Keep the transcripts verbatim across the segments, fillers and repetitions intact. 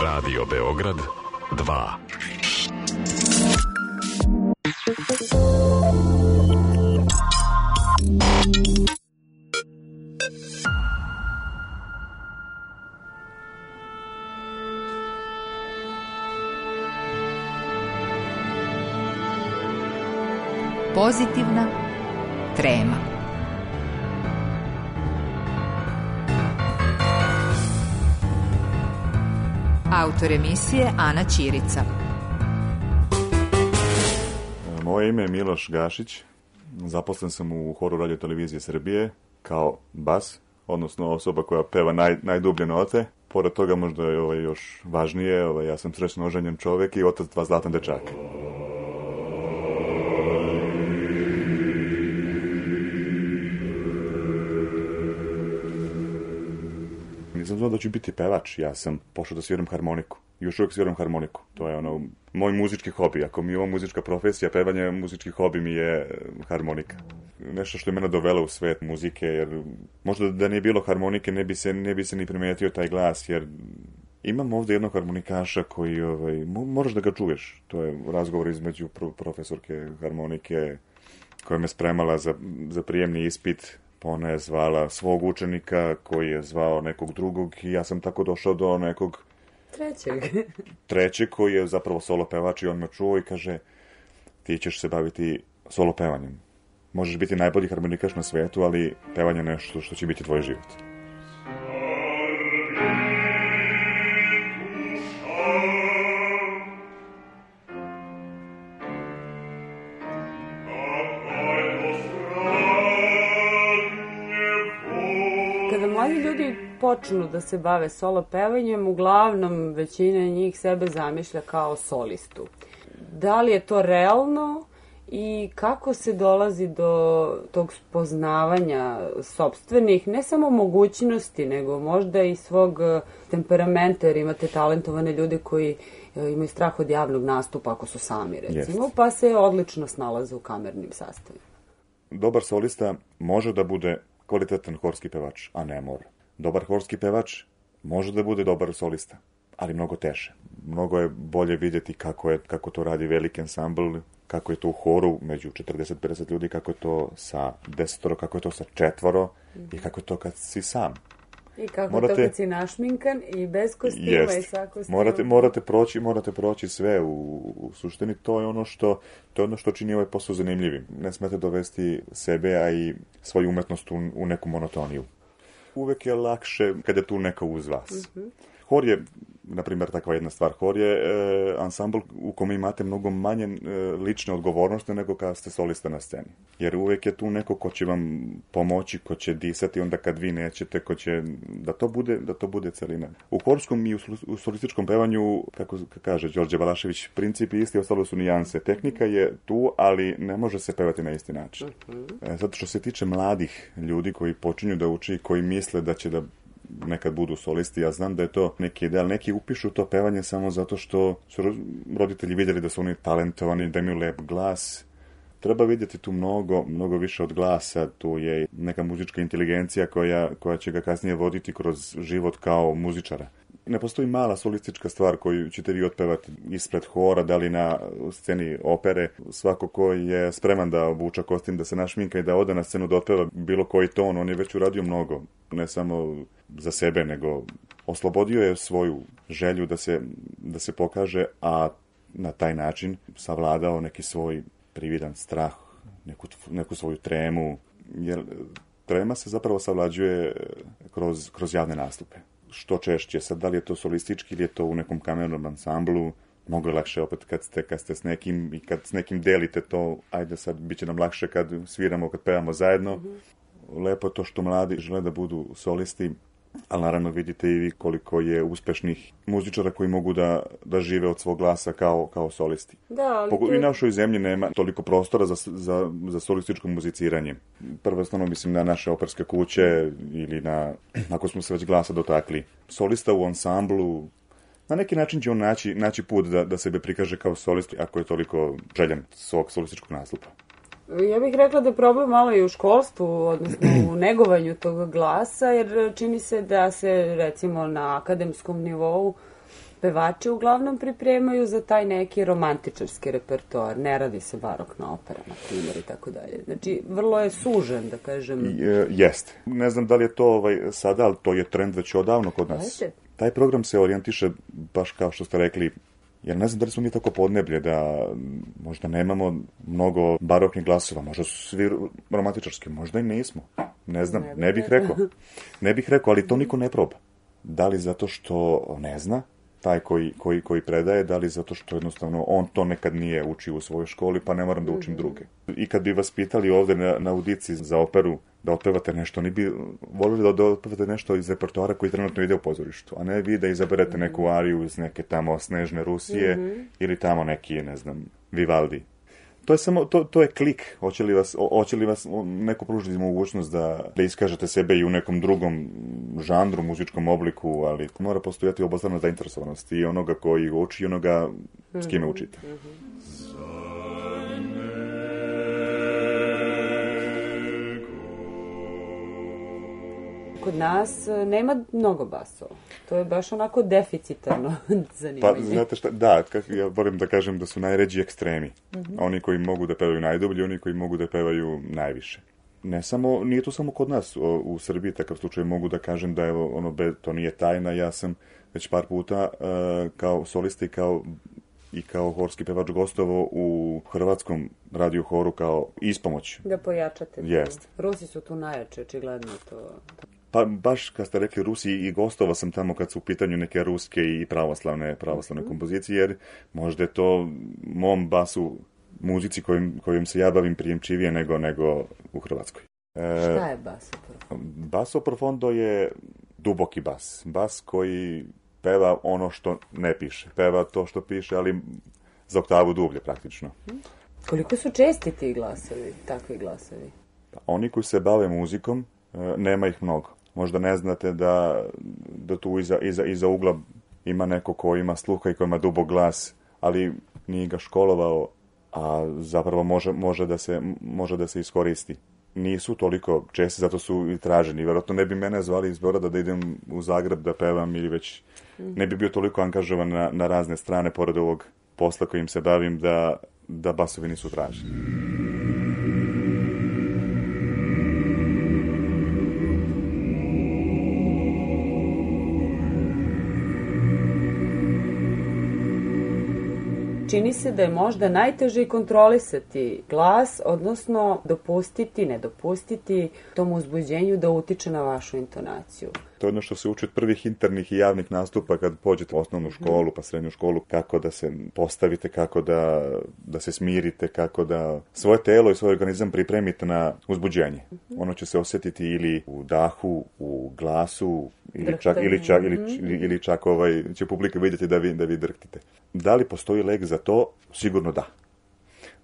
Radio Beograd dva. Pozitivna trema. Autor emisije Ana Ćirica. Moje ime je Miloš Gašić. Zaposlen sam u Horu Radio Televizije Srbije kao bas, odnosno osoba koja peva naj, najdublje note. Pored toga možda je ovaj, još važnije, ovaj, ja sam srećno oženjen čovek i otac dva zlatna dečaka. Nisam znao da ću biti pevač, ja sam pošao da sviram harmoniku. Još uvijek sviram harmoniku. To je ono, moj muzički hobi. Ako mi je ovo muzička profesija, pevanje, muzički hobi mi je harmonika. Nešto što je mene dovelo u svet muzike, jer možda da nije bilo harmonike ne bi se, ne bi se ni primetio taj glas, jer imam ovdje jednog harmonikaša koji, ovaj, moraš da ga čuješ. To je razgovor između profesorke harmonike koja me spremala za, za prijemni ispit. Ona je zvala svog učenika koji je zvao nekog drugog i ja sam tako došao do nekog trećeg. trećeg koji je zapravo solo pevač i on me čuo i kaže ti ćeš se baviti solo pevanjem. Možeš biti najbolji harmonikaš na svetu, ali pevanje je nešto što će biti tvoj život. Mladi ljudi počnu da se bave solo pevanjem, uglavnom većina njih sebe zamišlja kao solistu. Da li je to realno i kako se dolazi do tog spoznavanja sopstvenih, ne samo mogućnosti, nego možda i svog temperamenta, jer imate talentovane ljude koji imaju strah od javnog nastupa ako su sami, recimo, yes. Pa se odlično snalaze u kamernim sastavima. Dobar solista može da bude kvalitetan horski pevač, a ne mora. Dobar horski pevač može da bude dobar solista, ali mnogo teže. Mnogo je bolje vidjeti kako, je, kako to radi veliki ansambl, kako je to u horu među četrdeset do pedeset ljudi, kako je to sa desetoro, kako je to sa četvoro mm-hmm. i kako je to kad si sam. I kako morate, to kad si našminkan i bez kostima jest, i sa kostima. Morate, morate, proći, morate proći sve u, u suštini. To je ono što, to je ono što čini ovaj posao zanimljivim. Ne smete dovesti sebe, a i svoju umetnost u, u neku monotoniju. Uvek je lakše kada je tu neka uz vas. Mm-hmm. Hor je, na primjer, takva jedna stvar. Hor je e, ansambl u kome imate mnogo manje e, lične odgovornosti nego kada ste solista na sceni. Jer uvek je tu neko ko će vam pomoći, ko će disati onda kad vi nećete, ko će, da to bude, da to bude celina. U horskom i u, u solističkom pevanju, kako kaže Đorđe Balašević, principi isti, ostalo su nijanse. Tehnika je tu, ali ne može se pevati na isti način. Mm-hmm. E, zato što se tiče mladih ljudi koji počinju da uči, koji misle da će da nekad budu solisti, ja znam da je to neki ideal. Neki upišu to pevanje samo zato što su roditelji vidjeli da su oni talentovani, da imaju lep glas. Treba vidjeti tu mnogo, mnogo više od glasa. Tu je neka muzička inteligencija koja, koja će ga kasnije voditi kroz život kao muzičara. Ne postoji mala solistička stvar koju ćete vi otpevati ispred hora, da li na sceni opere. Svako ko je spreman da obuča kostim, da se našminka i da ode na scenu da otpeva bilo koji ton, on je već uradio mnogo. Ne samo za sebe, nego oslobodio je svoju želju da se, da se pokaže, a na taj način savladao neki svoj prividan strah, neku, neku svoju tremu. Jer trema se zapravo savlađuje kroz, kroz javne nastupe. Što češće, sad da li je to solistički ili je to u nekom kamernom ansamblu, mnogo je lakše opet kad ste, kad ste s nekim i kad s nekim delite to, ajde sad bit će nam lakše kad sviramo, kad pevamo zajedno. Mm-hmm. Lepo je to što mladi žele da budu solisti, ali naravno vidite i vi koliko je uspešnih muzičara koji mogu da, da žive od svog glasa kao, kao solisti. Da, ali Pogo- to... I našoj zemlji nema toliko prostora za, za, za solističko muziciranje. Prvenstveno mislim na naše operske kuće ili na, ako smo se već glasa dotakli, solista u ansamblu. Na neki način će on naći, naći put da, da sebe prikaže kao solist ako je toliko željan svog solističkog nastupa. Ja bih rekla da je problem malo i u školstvu, odnosno u negovanju tog glasa, jer čini se da se recimo na akademskom nivou pevači uglavnom pripremaju za taj neki romantičarski repertoar. Ne radi se barokna opera, na primjer, i tako dalje. Znači, vrlo je sužen, da kažem. E, jeste. Ne znam da li je to ovaj, sada, ali to je trend već odavno kod nas. Jeste. Taj program se orijentiše, baš kao što ste rekli, jer ne znam da li smo mi tako podneblje, da možda nemamo mnogo baroknih glasova, možda su svi romantičarski, možda i nismo. Ne znam, ne, ne bih rekao. Ne bih rekao, ali to niko ne proba. Da li zato što ne zna, taj koji, koji, koji predaje, da li zato što jednostavno on to nekad nije učio u svojoj školi, pa ne moram da učim druge. I kad bi vas pitali ovde na, na audiciji za operu da otpevate nešto, oni bi volili da, da otpevate nešto iz repertoara koji trenutno ide u pozorištu, a ne vi da izaberete neku ariju iz neke tamo Snežne Rusije mm-hmm. ili tamo neki, ne znam, Vivaldi. To je samo, to, to je klik. Hoće li vas, hoće li vas neko pružiti mogućnost da, da iskažete sebe i u nekom drugom žanru, muzičkom obliku, ali mora postojati obostrana zainteresovanost i onoga koji uči i onoga s kime učite. Kod nas nema mnogo basova. To je baš onako deficitarno zanimanje. Pa, znate šta, da, ja volim da kažem da su najređi ekstremi. Mm-hmm. Oni koji mogu da pevaju najdublje, oni koji mogu da pevaju najviše. Ne samo, nije to samo kod nas, o, u Srbiji takav slučaj mogu da kažem da je ono, be, to nije tajna, ja sam već par puta uh, kao solista i kao i kao horski pevač gostovo u hrvatskom radio horu kao ispomoć. Da pojačate. Jeste. Rusi su tu najjače, očigledno to. Pa baš kad ste rekli Rusi i gostova sam tamo kad su u pitanju neke ruske i pravoslavne, pravoslavne mm-hmm. kompozicije, jer možda je to mom basu, muzici kojim, kojim se ja bavim prijemčivije nego, nego u Hrvatskoj. E, Šta je basso profondo? Basso profondo je duboki bas. Bas koji peva ono što ne piše. Peva to što piše, ali za oktavu dublje praktično. Koliko su česti ti glasovi, takvi glasovi? Oni koji se bave muzikom, nema ih mnogo. Možda ne znate da, da tu iza, iza, iza ugla ima neko ko ima sluha i ko ima dubok glas, ali nije ga školovao, a zapravo može, može, da, se, može da se iskoristi. Nisu toliko česti, zato su i traženi. Vjerojatno ne bi mene zvali iz Beograda da idem u Zagreb da pevam ili već ne bi bio toliko angažovan na, na razne strane pored ovog posla kojim se bavim da, da basovi nisu traženi. Čini se da je možda najteže kontrolisati glas, odnosno dopustiti, ne dopustiti tom uzbuđenju da utiče na vašu intonaciju. To je ono što se uči od prvih internih i javnih nastupa kad pođete u osnovnu školu pa srednju školu, kako da se postavite, kako da, da se smirite, kako da svoje telo i svoj organizam pripremite na uzbuđenje. Ono će se osjetiti ili u dahu, u glasu, ili čak, ili čak, ili, ili, ili čak ovaj, će publika vidjeti da vi, da vi drhtite. Da li postoji lek za to? Sigurno da.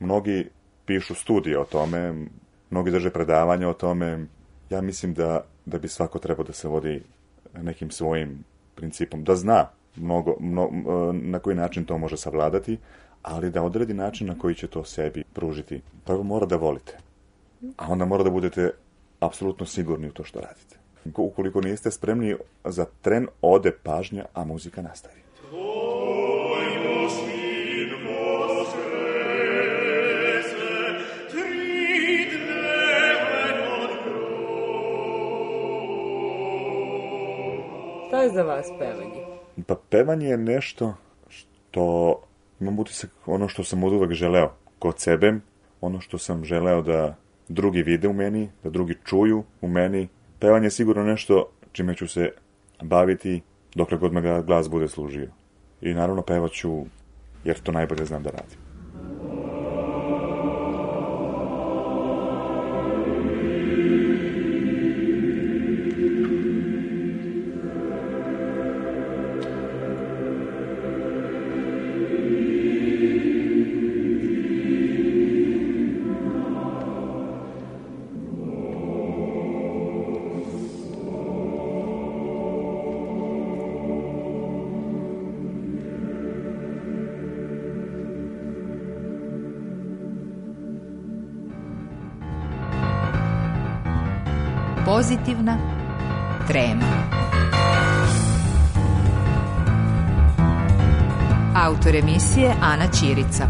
Mnogi pišu studije o tome, mnogi drže predavanja o tome. Ja mislim da, da bi svako trebao da se vodi nekim svojim principom. Da zna mnogo, mno, na koji način to može savladati, ali da odredi način na koji će to sebi pružiti. Prvo mora da volite, a onda mora da budete apsolutno sigurni u to što radite. Ukoliko niste spremni, za tren ode pažnja, a muzika nastavi. Šta je za vas pevanje? Pa pevanje je nešto što imam utisak ono što sam od uvek želeo kod sebe, ono što sam želeo da drugi vide u meni, da drugi čuju u meni. Pevanje je sigurno nešto čime ću se baviti dokle god me ga glas bude služio. I naravno pevaću jer to najbolje znam da radim. Pozitivna trema. Autor emisije Ana Ćirica.